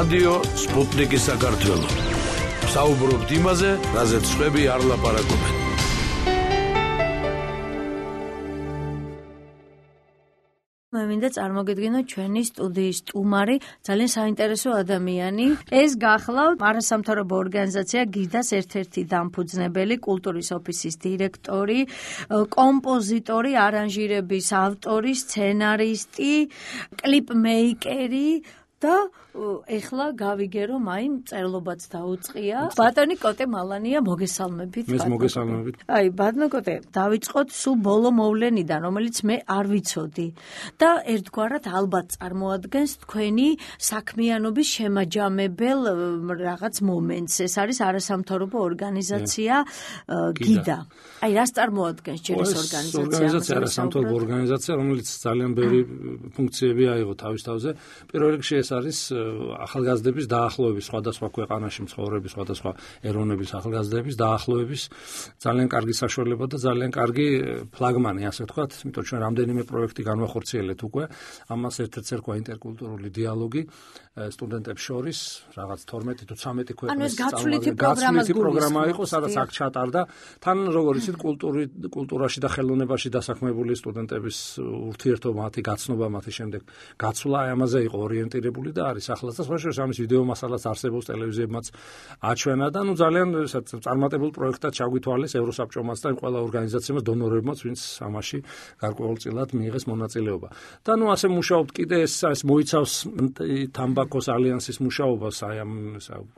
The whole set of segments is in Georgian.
რადიო სპუტნიკი საქართველო. საუბრობთ იმაზე, რაზეც სხვები არ ლაპარაკობენ. მე მინდა წარმოგიდგინო ჩვენი სტუდიის სტუმარი, ძალიან საინტერესო ადამიანი. ეს გახლავთ არასამთავრობო ორგანიზაცია გიდას ერთ-ერთი დამფუძნებელი, კულტურის ოფისის დირექტორი, კომპოზიტორი, არანჟირების ავტორი, სცენარისტი, კლიპმეიკერი და ეხლა გავიგე რომ აი მწერლობაც დაუწყია. ბატონი კოტე მალანია, მოგესალმებით. მე მოგესალმებით. აი ბატონო კოტე, დავიწყოთ სულ ბოლო მოვლენიდან, რომელიც მე არ ვიცოდი და ერთგვარად ალბათ წარმოადგენს თქვენი საქმიანობის შემაჯამებელ რაღაც მომენტს. ეს არის არასამთავრობო ორგანიზაცია გიდა. აი რას წარმოადგენს ჯერ ეს ორგანიზაცია? ორგანიზაცია არასამთავრობო ორგანიზაცია, რომელიც ძალიან ბევრი ფუნქციები აიღო თავის თავზე. პირველ რიგში ეს არის ახალგაზრდების დაახლოების, სხვადასხვა ქვეყანაში მცხოვრები სხვადასხვა ეროვნების ახალგაზრდების დაახლოების ძალიან კარგი საშუალება და ძალიან კარგი ფლაგმანი, ასე ვთქვათ, იმიტომ ჩვენ რამდენიმე პროექტი განვახორციელეთ უკვე. ამას ერთ-ერთი ერქვა ინტერკულტურული დიალოგი სტუდენტებს შორის, რაღაც 12 თუ 13 ქვეყნის გაცვლითი პროგრამა იყო, სადაც აქ ჩატარდა. თან როგორ იცით, კულტურაში და ხელოვნებაში დასაქმებული სტუდენტების ურთიერთობა, მათი გაცნობა, მათი შემდეგ გაცვლა, ამაზე იყო ორიენტირებული და არის ახლა და სხვა შორის ამის ვიდეო მასალაც არსებობს ტელევიზიებმაც აჩვენა და ნუ ძალიან წარმატებულ პროექტად ჩაგვითვალეს ევროსაბჭომაც და ყველა ორგანიზაციებმაც, დონორებმაც, ვინც ამაში გარკვეულწილად მიიღეს მონაწილეობა. და ნუ ასე მუშაობთ კიდე ეს მოიცავს თამბაქოს ალიანსის მუშაობას, აი ამ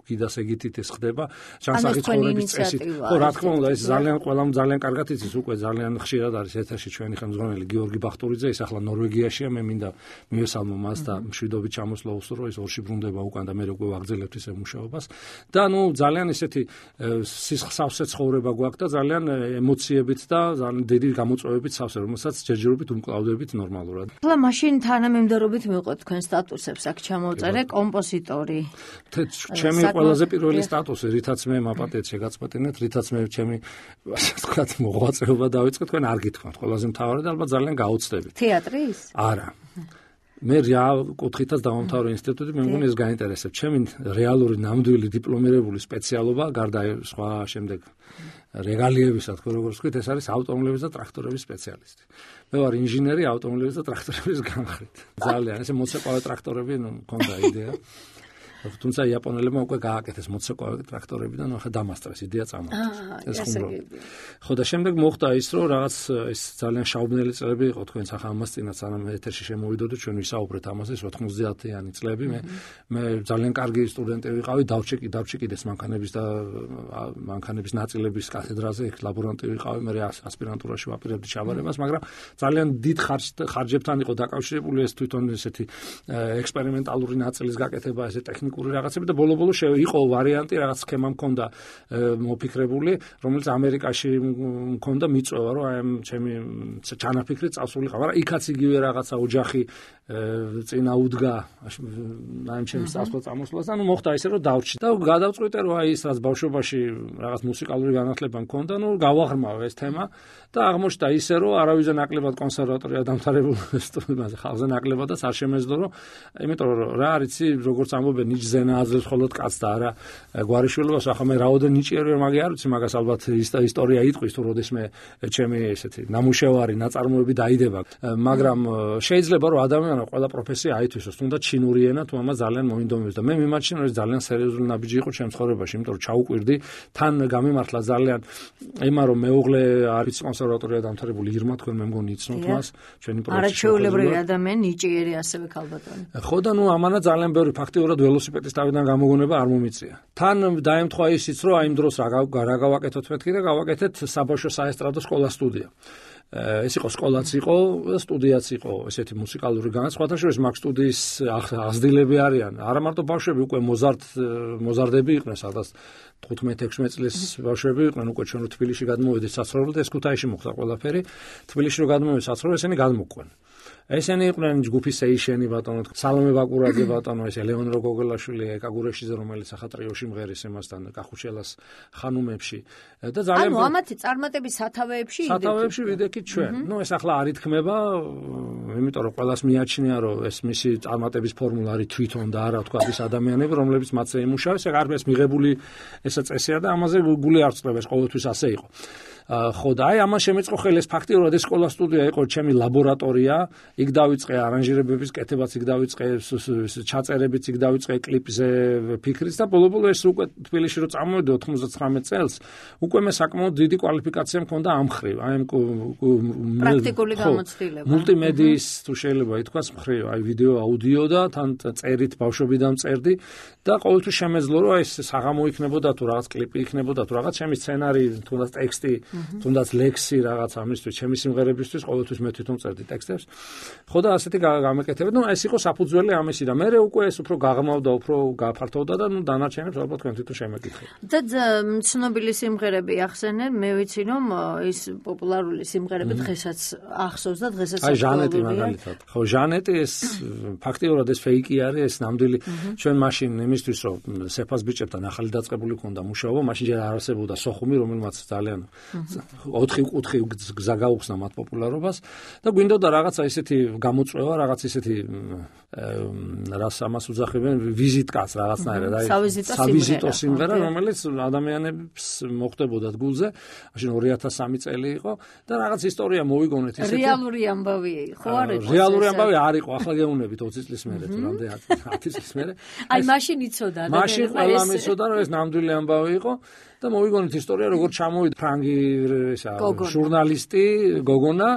გიდას ეგითით ეს ხდება, ჯანსაღი ცხოვრების წესით. ხო, რა თქმა უნდა, ეს ყველამ ძალიან კარგად იცის, უკვე ძალიან ხშირად არის ეთერში ჩვენი ხელმძღვანელი გიორგი ბახტურიძე, ის ახლა ნორვეგიაშია, მე მინდა მივესალმო მას და მშვიდობით ჩამოსვლა უსურვო, ის ორში ბრუნდება უკან და მე უკვე ვაგრძელებთ ისე მუშაობას. და ნუ ძალიან ისეთი სისხლსავსე ცხოვრება გვაქვს და ძალიან ემოციებით და ძალიან დიდი გამოწვევებით სავსე, რომელსაც ჯერჯერობით უმკლავდებით ნორმალურად. ახლა მაშინ თანამიმდევრობით მივყოთ თქვენ სტატუსებს, აქ ჩამოვწერე კომპოზიტორი. ჩემი ყველაზე პირველი სტატუსი, რითაც მე მაპატეთ შეგაწყვეტინეთ, რითაც მე ჩემი ასე ვთქვათ მოღვაწეობა დავიწყე, თქვენ არ გითხოვთ, ყველაზე მთავარი და ალბათ ძალიან გაუცდებით. თეატრის? არა. მე კუთხითაც დავამთავრე ინსტიტუტი, მე მგონი ეს გაინტერესებს. ჩემი რეალური ნამდვილი დიპლომირებული სპეციალობა, გარდა სხვა შემდეგ რეგალიებისა, თქო როგორც ვთქვით, ეს არის ავტომობილების და ტრაქტორების სპეციალისტი. მე ვარ ინჟინერი ავტომობილების და ტრაქტორების განხრით. ძალიან ესე მოცეკვავე ტრაქტორები, ნუ მქონდა იდეა. თუმცა იაპონელებმა უკვე გააკეთეს მოცეკვავე ტრაქტორები და ნუ ახლა დამასწრეს იდეა წამოიღეს. ეს ხუმრობა. ხო და შემდეგ მოხდა ის, რომ რაღაც ეს ძალიან შაუბნელი წლები იყო თქვენს ახლა ამას წინათ, სანამ ეთერში შემოვიდოდით, ჩვენ ვისაუბრეთ ამაზე 90-იანი წლები. მე ძალიან კარგი სტუდენტი ვიყავი, დავჭიკიდეს მანქანების ნაწილების კათედრაზე, იქ ლაბორანტი ვიყავი, მე ასპირანტურაში ვაპირებდი ჩაბარებას, მაგრამ ძალიან დიდ ხარჯებთან იყო დაკავშირებული ეს თვითონ ესეთი ექსპერიმენტალური ნაწილის გაკეთება, ესე ტექნიკური რაღაცები და ბოლო-ბოლო იყო ვარიანტი, რაღაც სქემა მქონდა მოფიქრებული, რომელიც ამერიკაში მქონდა მიწვევა, რომ აი ამ ჩემი ჩანაფიქრით წავსულიყავ, მაგრამ იქაც იგივე რაღაცა ოჯახი წინა უდგა აი ჩემს წასვლა წამოსვლას და ნუ მოხდა ისე, რომ დავჭი და გადავწყვიტე, რომ აი ის რაც ბავშვობაში რაღაც მუსიკალური განათლება მქონდა, ნუ გავაღრმავ ეს თემა და აღმოჩნდა ისე, რომ არავის ნაკლებად კონსერვატორია დამთავრებული სტუდენტზე, ხალხზე ნაკლებადაც არ შემეძლო, რომ იმიტომ რომ რა არიცი, როგორც ამბობენ, ნიჭზე ნააზრებს მხოლოდ კაცს და არა გვარიშვილობას, ახლა მე რაოდენ ნიჭიერი ვარ, მაგე არ ვიცი, მაგას ალბათ ისტორია იტყვის, თუ როდესმე ჩემი ესეთი ნამუშევარი, ნაწარმოები დაიდება, მაგრამ შეიძლება რომ ადამიანმა ყველა პროფესია აითვისოს, თუნდაც ჩინური ენა თუ ამას ძალიან მოინდომებს და მე მიმაჩნია, რომ ეს ძალიან სერიოზული ნაბიჯი იყო ჩემს ცხოვრებაში, იმიტომ რომ ჩაუკვირდი, თან გამიმართლა ძალიან ემა, რომ მეუღლე არის კონსერვატორია დამთავრებული ირმა, თქვენ მე მგონი იცნობთ მას, ჩვენი პროფესია. არაჩვეულებრივი ადამიანი, ნიჭიერი ასევე ქალბატონი. ხო და ნუ ამანა ძალიან ბევრი ფაქტიურად ველოსიპედის თავიდან გამოგონება არ მომიწია. თან დაემთხვა ისიც, რომ აი იმ დროს რა გავაკეთოთ მეთქი და გავაკეთეთ საბავშვო საესტრადო სკოლა-სტუდია. ეს იყო სკოლაც იყო, სტუდიაც იყო, ესეთი მუსიკალური განაცხადა, შორის მაგ სტუდიის აღზრდილები არიან. არა მარტო ბავშვები, უკვე მოზარდები იყვნენ, სადაც 15-16 წლის ბავშვები იყვნენ, უკვე ჩვენ თბილისში გადმოვედით საცხოვრებლად, ეს ქუთაისში მოხდა ყველაფერი. თბილისში რო გადმოვედით საცხოვრებლად, ესენი გადმოყვნენ. ესენი იყვნენ ჯგუფი სეიშენი ბატონო, სალომე ბაკურაძე ბატონო, ეს ლეონრო გოგოლაშვილი, ეკაგურეშიძე, რომელიც ახატრიოში მღერის εμასთან კახუშელას ხანუმებში და ძალიან ანუ ამათი წარმატების სათავეებში ვიდექით ჩვენ. ნუ ეს ახლა არ ითქმება, იმიტომ რომ ყველას მიაჩნია, რომ ეს მისი წარმატების ფორმულა არის თვითონ და არა თქვა ის ადამიანები, რომლებიც მათზე იმუშავეს, ეგ არ არის მიღებული ესა წესია და ამაზე გული არ წდება, ეს ყოველთვის ასე იყო. ხო და აი ამან შემეწყო ხელი ეს ფაქტიურად ეს სკოლა სტუდია იყო ჩემი ლაბორატორია, იქ დავიწყე არანჟირებების კეთებაც, იქ დავიწყე ჩაწერებიც, იქ დავიწყე კლიპზე ფიქრიც და ბოლო-ბოლო ეს უკვე თბილისში რო წამოვედი 99 წელს, უკვე მე საკმაოდ დიდი კვალიფიკაცია მქონდა ამ ხრივ, აი პრაქტიკული გამოცდილება. მულტიმედიის თუ შეიძლება ითქვას მხრივ, აი ვიდეო, აუდიო და თან წერით ბავშვობიდან წერდი და ყოველთვის შემეძლო რომ აი საღამო იქნებოდა თუ რაღაც კლიპი იქნებოდა თუ რაღაც ჩემი სცენარი, თუნდაც ტექსტი თუნდაც ლექსი რაღაც ამისთვის, ჩემი სიმღერებისთვის ყოველთვის მე თვითონ წერდი ტექსტებს. ხო და ასეთი გამეკეთებდი. ნუ ეს იყო საფუძველი ამისი და მე უკვე ეს უფრო გაღრმავდა, უფრო გაფართოვდა და ნუ დანარჩენებს ალბათ თქვენ თვითონ შემეკითხეთ. და ცნობილი სიმღერები ახსენენ, მე ვიცი რომ ის პოპულარული სიმღერები დღესაც ახსოვს და დღესაც აი ჟანეტი მაგალითად. ხო, ჟანეტი ეს ფაქტიურად ეს ფეიკი არის, ეს ნამდვილი ჩვენ მაშინ იმისთვის რომ სეფას ბიჭებთან ახალი დაწყებული ქონდა მუშაობა, მაშინ ჯერ არ არსებობდა სოხუმი, რომელმაც ძალიან 4 კუთხი გზა გაუხსნა მათ პოპულარობას და გვინდოდა რაღაცა ისეთი გამოწვევა, რაღაც ისეთი რას ამას უძახებენ ვიზიტკაც რაღაცნაირად, აი სავიზიტო სიმღერა, რომელიც ადამიანებს მოხდებოდათ გულზე, მაშინ 2003 წელი იყო და რაღაც ისტორია მოვიგონეთ ისეთი. რეალური ამბავი ხო არ იყო? რეალური ამბავი არ იყო, ახლა გეუნებით 20 წლის მერე თუ რამდენი 10 წლის მერე. აი მაშინ იცოდა და მაშინ ყველამ იცოდა რომ ეს ნამდვილი ამბავი იყო. და მოვიგონეთ ისტორია, როგორ ჩამოვიდა ფრანგი ჟურნალისტი გოგონა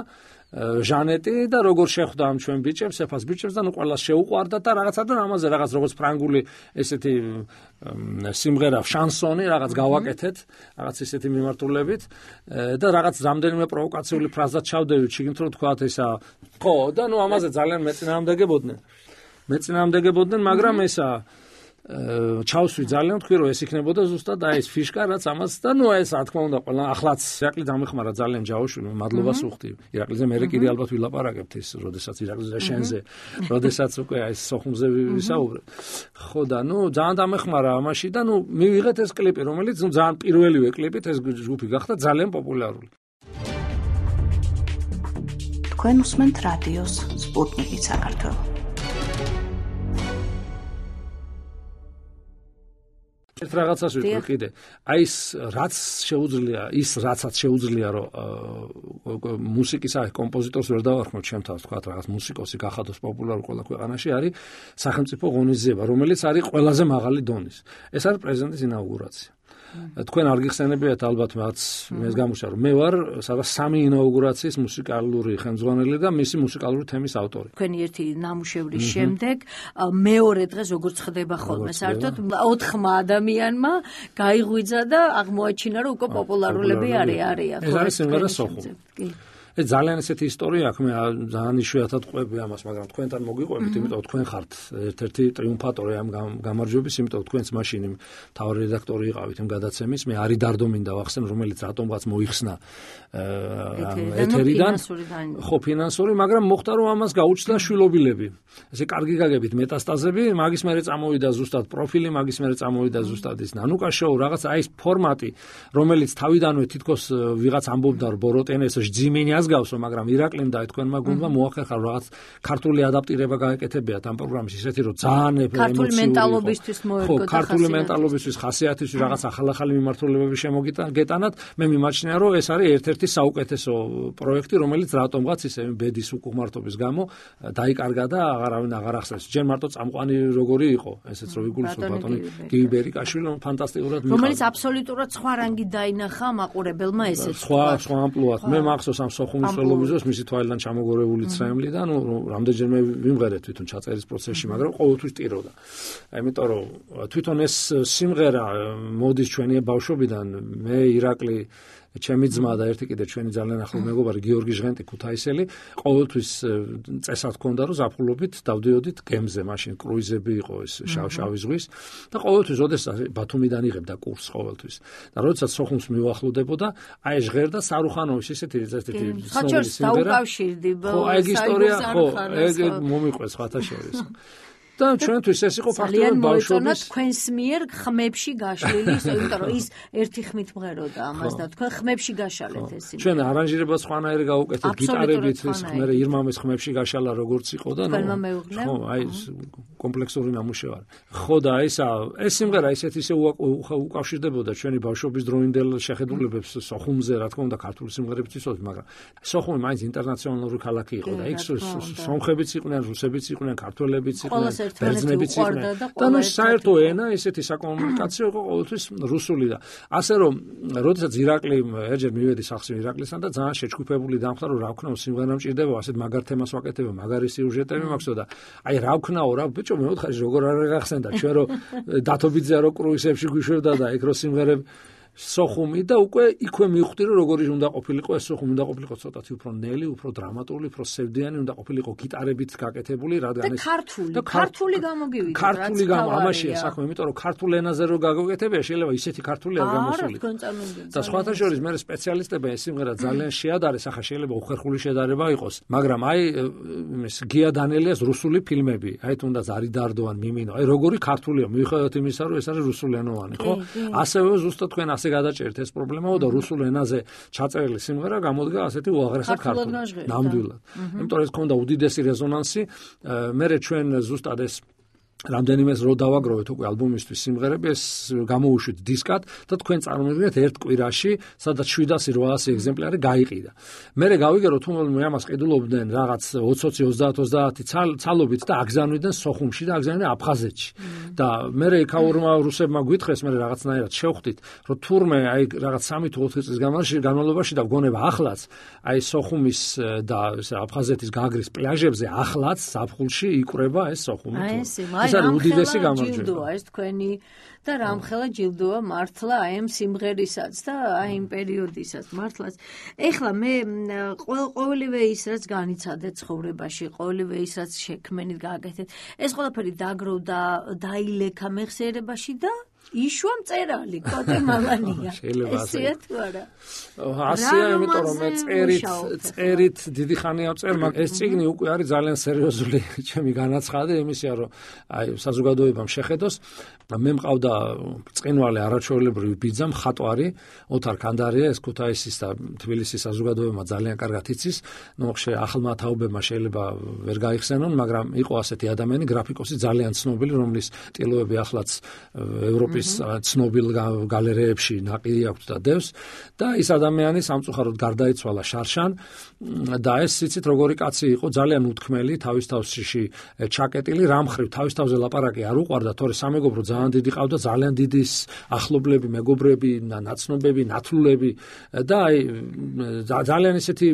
ჟანეტი და როგორ შეხვდა ამ ჩვენ ბიჭებს, სეფას ბიჭებს და ნუ ყველას შეუყვარდა და რაღაცა და ამაზე რაღაც როგორც ფრანგული ესეთი სიმღერა, შანსონი რაღაც გავაკეთეთ, რაღაც ესეთი მიმართულებით და რაღაც რამდენიმე პროვოკაციული ფრაზა ჩავდევით, შეგიძლიათ რომ თქვათ ესა ხო და ნუ ამაზე ძალიან მეწინააღმდეგებოდნენ, მაგრამ ესა ჩავსვი ძალიან თქვი რომ ეს იქნებოდა ზუსტად აი ეს ფიშკა რაც ამას და ნუ ეს რა თქმა უნდა ყველა ახლაც ირაკლი დამეხმარა ძალიან ჯაოშვილი მადლობას უხდი ირაკლიზე მე კიდე ალბათ ვილაპარაკებთ ის როდესაც ირაკლიზე შენზე როდესაც უკვე აი სოხუმზე ვისაუბრებ ხო და ნუ ძალიან დამეხმარა ამაში და ნუ მივიღეთ ეს კლიპი რომელიც ნუ ძალიან პირველივე კლიპით ეს ჯგუფი გახდა ძალიან პოპულარული თქვენ უსმენთ რადიოს სპუტნიკი საქართველოს ერთ რაღაცას ვიტყვი კიდე. აი ის რაც შეუძლია, ის რაცაც შეუძლია რომ მუსიკის აი კომპოზიტორს ვერ დავარქმევ ჩემთან, თქვა რაღაც მუსიკოსი გახადოს პოპულარული ყველა ქვეყანაში არის სახელმწიფო ღონისძიება, რომელიც არის ყველაზე მაღალი დონის. ეს არის პრეზიდენტის ინაუგურაცია. თქვენ არ გიხსენებიათ ალბათ რაც მე გამუშა რომ მე ვარ სადაც 3 ინაუგურაციის მუსიკალური ხელმძღვანელი და მისი მუსიკალური თემის ავტორი. თქვენი ერთი ნამუშევრის შემდეგ მეორე დღეს როგორც ხდება ხოლმე საერთოდ 4 ადამიანმა გაიღვიძა და აღმოაჩინა რომ უკვე პოპულარულები არიან. ეს არის სიმღერა სოხუმი. ეს ძალიან ესეთი ისტორია აქვს მე ძალიან იშვიათად ყვები ამას, მაგრამ თქვენთან მოგიყვებით, იმიტომ თქვენ ხართ ერთ-ერთი ტრიუმფატორი ამ გამარჯვების, იმიტომ თქვენც მაშინ მთავარი რედაქტორი იყავით იმ გადაცემის, მე არი დარდომინდა ვახსენ, რომელიც რატომღაც მოიხსნა ეთერიდან. ხო, ფინანსური, მაგრამ მოხდა რომ ამას გაუჩნდა შვილობილები. ესე კარგი გაგებით მეტასტაზები, მაგის მერე წამოვიდა ზუსტად პროფილი, მაგის მერე წამოვიდა ზუსტად ის ნანუკა შოუ, რაღაც აი ეს ფორმატი, რომელიც თავიდანვე თითქოს ვიღაც ამბობდა რომ ბოროტენეს ჯიმენიას გავსო, მაგრამ ირაკლიმ და თქვენმა გუნდმა მოახერხა რაღაც ქართული ადაპტირება გაეკეთებიათ ამ პროგრამის ისეთი რომ ძალიან ქართული მენტალობისთვის მოერგო და ქართული მენტალობისთვის ხასიათისთვის რაღაც ახალ-ახალი მიმართულებები შემოგეტანათ, მე მიმაჩნია რომ ეს არის ერთ-ერთი საუკეთესო პროექტი, რომელიც რატომღაც ისე ბედის უკუღმართობის გამო დაიკარგა და აღარავინ აღარ ახსენს. ჯერ მარტო წამყვანი როგორი იყო, ესეც რო ვიგულისხმობ ბატონი გივიბერიკაშვილი, ფანტასტიკურად მიხარდა. რომელიც აბსოლუტურად სხვა რანგი დაინახა მაყურებელმა ესეც. სხვა ამპლუათ. მე მახსოვს ამ სოხუმის ხელოვნებას მისი თვალიდან ჩამოგორებული ცრემლი და ნუ რამდენჯერმე ვიმღერეთ თვითონ ჩაწერის პროცესში, მაგრამ ყოველთვის ტიროდა. იმიტომ რომ თვითონ ეს სიმღერა მოდის ჩვენი ბავშვობიდან, მე ირაკლი ჩემი ძმა და ერთი კიდე ჩვენი ძალიან ახლო მეგობარი გიორგი ჟღენტი ქუთაისელი ყოველთვის წესად ჰქონდა რომ ზაფხულობით დავდიოდით გემზე, მაშინ კრუიზები იყო ეს შავი ზღვის და ყოველთვის ოდესაც ბათუმიდან იღებდა კურსს ყოველთვის. და როდესაც სოხუმს მივახლოვდებოდა, აი ჟღერდა სარუხანოვის ესეთი ხაჩორს დაუკავშირდი. ხო, აი ისტორია, ხო, ეგ მომიყვეს ხათა შორის. და ჩვენთვის ეს იყო ფაქტობრივად ბავშვობის თქვენს მიერ ხმებში გაშლილი, იმიტომ რომ ის ერთი ხმით მღეროდა ამას და თქვენ ხმებში გაშალეთ ეს სიმღერა. ჩვენ არანჟირებას ხვანაერი გავუკეთეთ გიტარებით, ეს მე ირმამის ხმებში გაშალა როგორც იყო და ხო, აი კომპლექსური ნამუშევარი. ხო და ეს სიმღერა ისე უკავშირდებოდა ჩვენი ბავშვობის დროინდელ შეხედულებებს სოხუმზე, რა თქმა უნდა, ქართული სიმღერებიც ისოთი, მაგრამ სოხუმი მაინც ინტერნაციონალური ქალაქი იყო და იქ სომხებიც იყვნენ, რუსებიც იყვნენ, ქართველებიც იყვნენ. ბერძნებიც იყვნენ და ნუ საერთო ენა ესეთი საკომუნიკაციო იყო ყოველთვის რუსული და ასე რომ როდესაც ირაკლი ერჯერ მივედი სახში ირაკლისთან და ძალიან შეჩქუფებული დამხდა რომ რა ვქნაო სიმღერა მჭირდება ასეთ მაგარ თემას ვაკეთებ მაგარი სიუჟეტები მაქვსო და აი რა ვქნაო რა ბიჭო მე ვთხარი როგორ არ გახსენდა ჩვენ რომ დათობიძე რო კრუიზებში გვიშვებდა და იქ რო სიმღერები სოხუმი და უკვე იქვე მივხვდი რომ როგორი უნდა ყოფილიყო ეს სოხუმი უნდა ყოფილიყო ცოტათი უფრო ნელი, უფრო დრამატული, უფრო სევდიანი უნდა ყოფილიყო გიტარებით გაკეთებული, რადგან ეს ქართული გამოგივიდა. ქართული ამაშია საქმე, იმიტომ რომ ქართულ ენაზე რო გაგაკეთებია, შეიძლება ისეთი ქართული არ გამოსულიყო. და სხვათა შორის მე სპეციალისტები ეს სიმღერა ძალიან შეადარეს, ახლა შეიძლება უხერხული შედარება იყოს, მაგრამ აი ეს გია დანელიას რუსული ფილმები, აი თუნდაც არი დარდო ან მიმინო, აი როგორი ქართულია, მიუხედავად იმისა რომ ეს არის რუსულენოვანი, ხო? ასევე ზუსტად თქვენ ასე გადაჭერთ ეს პრობლემაო და რუსულ ენაზე ჩაწერილი სიმღერა გამოდგა ასეთი უაღრესად ქართული. ნამდვილად. იმიტომ რომ ეს ქონდა უდიდესი რეზონანსი, მე ჩვენ ზუსტად ეს რამდენიმეს რო დავაგროვეთ უკვე ალბომისთვის სიმღერები ეს გამოუშვით დისკად და თქვენ წარმოვიდგინეთ ერთ კვირაში სადაც 700-800 ეგზემპლარი გაიყიდა. მე გავიგერო თუ მე ამას ყიდულობდნენ რაღაც 20-30 ცალობით და აგზავნიდნენ სოხუმში და აგზავნიდნენ აფხაზეთში. და მე იქაურმა რუსებმა გვითხრეს მე რაღაცნაირად შევხვდით რომ თურმე აი რაღაც 3-4 წლის განმავლობაში და გონება ახლაც აი სოხუმის და აფხაზეთის გაგრის პლაჟებზე ახლაც ზაფხულში იკვრება ეს სოხუმი. ეს არის უდიდესი გამარჯვება ეს თქვენი და რამხელა ჯილდოა მართლა აი ამ სიმღერისაც და აი იმ პერიოდისაც მართლაც. ეხლა მე ყოველივე ის რაც განიცადეთ ცხოვრებაში, ყოველივე ის რაც შექმენით გააკეთეთ, ეს ყველაფერი დაგროვდა, დაილექა მეხსიერებაში და იშვა მწერალი კოტე მალანია. ესეა თუ არა? ასეა, იმიტომ რომ მე წერით დიდი ხანია ვწერ, მაგრამ ეს წიგნი უკვე არის ძალიან სერიოზული ჩემი განაცხადი იმისია, რომ აი საზოგადოებამ შეხედოს. მე მყავდა წინვალე არაჩვეულებრივი ბიძა მხატვარი ოთარ კანდარია, ეს ქუთაისის და თბილისის საზოგადოებმა ძალიან კარგად იცის. ნუ ახალმა თაობებმა შეიძლება ვერ გაიხსენონ, მაგრამ იყო ასეთი ადამიანი, გრაფიკოსი ძალიან ცნობილი, რომლის ტილოები ახლაც ევროპის ცნობილ გალერეებში ნაყიდი აქვს და დევს და ის ადამიანი სამწუხაროდ გარდაიცვალა შარშან და ეს იცით როგორი კაცი იყო, ძალიან უთქმელი, თავის თავში ჩაკეტილი, რამხრივ თავის თავზე ლაპარაკი არ უყვარდა, თორე სამეგობრო ძალიან დიდი ყავდა, ძალიან დიდი ახლობლები, მეგობრები, ნაცნობები, ნათლულები და აი ძალიან ისეთი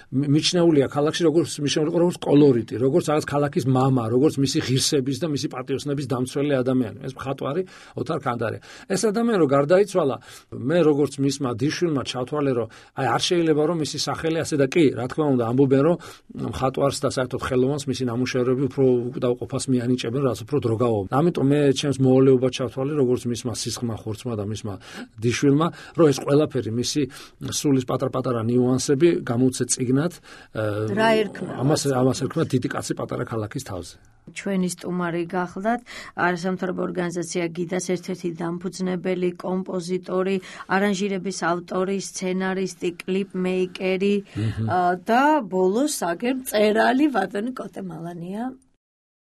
მიჩნეულია ქალაქში, როგორც კოლორიტი, როგორც რაღაც ქალაქის მამა, როგორც მისი ღირსების და მისი პატიოსნების დამცველი ადამიანი. ეს მხატვარი ოთარ კანდარია. ეს ადამიანი რო გარდაიცვალა, მე როგორც მისმა დიშვილმა ჩავთვალე, რომ აი არ შეიძლება რომ მისი სახელი ასე და კი, რა თქმა უნდა, ამბობენ რომ მხატვარს და საერთოდ ხელოვანს მისი ნამუშევრები უფრო დაუყოფას მიანიჭებენ, რაც უფრო დრო გაუვობენ. ამიტომ მე ჩემს მოვალეობა ჩავთვალე, როგორც მისმა სისხმა ხორცმა და მისმა დიშვილმა, რომ ეს ყველაფერი მისი სულის პატარ-პატარა ნიუანსები გამოვცე წიგნად. რა ერქმა? ამას ერქმა დიდი კაცი პატარა ქალაქის თავზე. ჩვენი სტუმარი გახლდათ არასამთავრობო ორგანიზაცია გიდას ერთ-ერთი დამფუძნებელი, კომპოზიტორი, არანჟირების ავტორი, სცენარისტი, კლიპმეიკერი და ბოლოს აგერ მწერალი ბატონი კოტე მალანია.